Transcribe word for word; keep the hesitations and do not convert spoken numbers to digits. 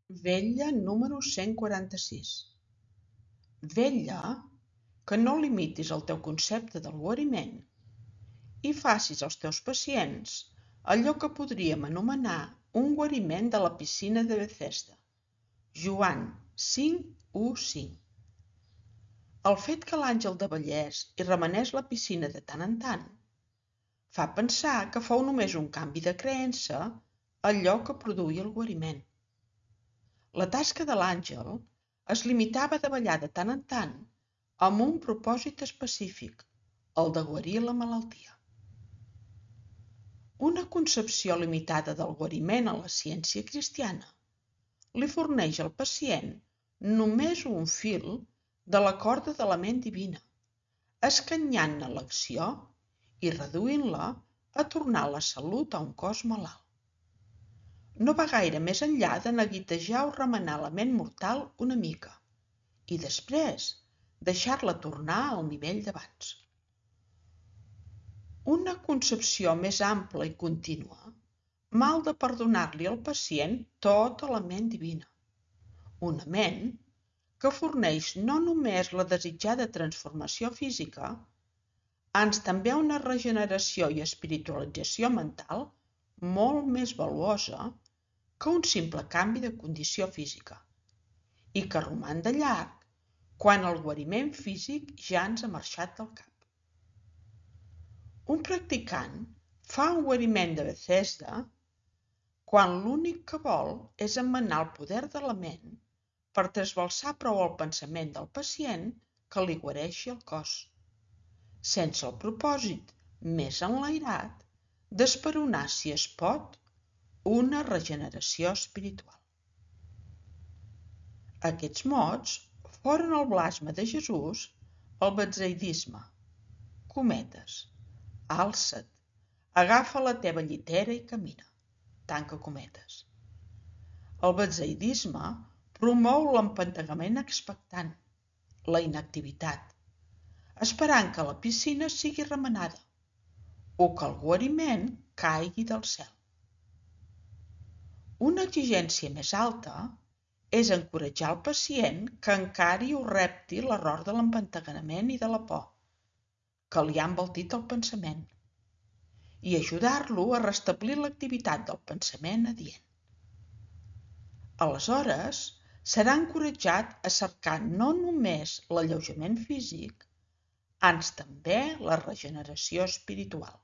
Vetlla número cent quaranta-sis. Vetlla que no limitis el teu concepte del guariment i facis als teus pacients allò que podríem anomenar un guariment de la piscina de Bethesda. Joan cinc, u, cinc. El fet que l'àngel de Vallès hi remenés la piscina de tant en tant fa pensar que fou només un canvi de creença allò que produïa el guariment. La tasca de l'àngel es limitava a davallar de tant en tant amb un propòsit específic, el de guarir la malaltia. Una concepció limitada del guariment a la ciència cristiana li forneix al pacient només un fil de la corda de la ment divina, escanyant-ne l'acció i reduint-la a tornar la salut a un cos malalt. No va gaire més enllà de neguitejar o remenar la ment mortal una mica i després deixar-la tornar al nivell d'abans. Una concepció més ampla i contínua mal de perdonar-li al pacient tota la ment divina. Una ment que forneix no només la desitjada transformació física, ans també una regeneració i espiritualització mental molt més valuosa que un simple canvi de condició física i que roman de llarg quan el guariment físic ja ens ha marxat del cap. Un practicant fa un guariment de Bethesda quan l'únic que vol és emmenar el poder de la ment per trasbalsar prou el pensament del pacient que li guareixi el cos, sense el propòsit més enlairat d'esperonar, si es pot, una regeneració espiritual. Aquests mots foren el blasme de Jesús al betsaidisme. Cometes. Alça't, agafa la teva llitera i camina. Tanca cometes. El betsaidisme promou l'empantegament expectant, la inactivitat, esperant que la piscina sigui remenada o que el guariment caigui del cel. Una exigència més alta és encoratjar el pacient que encari o repti l'error de l'empantegament i de la por, que li ha envoltit el pensament, i ajudar-lo a restablir l'activitat del pensament adient. Aleshores, serà encoratjat a cercar no només l'alleujament físic, ans també la regeneració espiritual.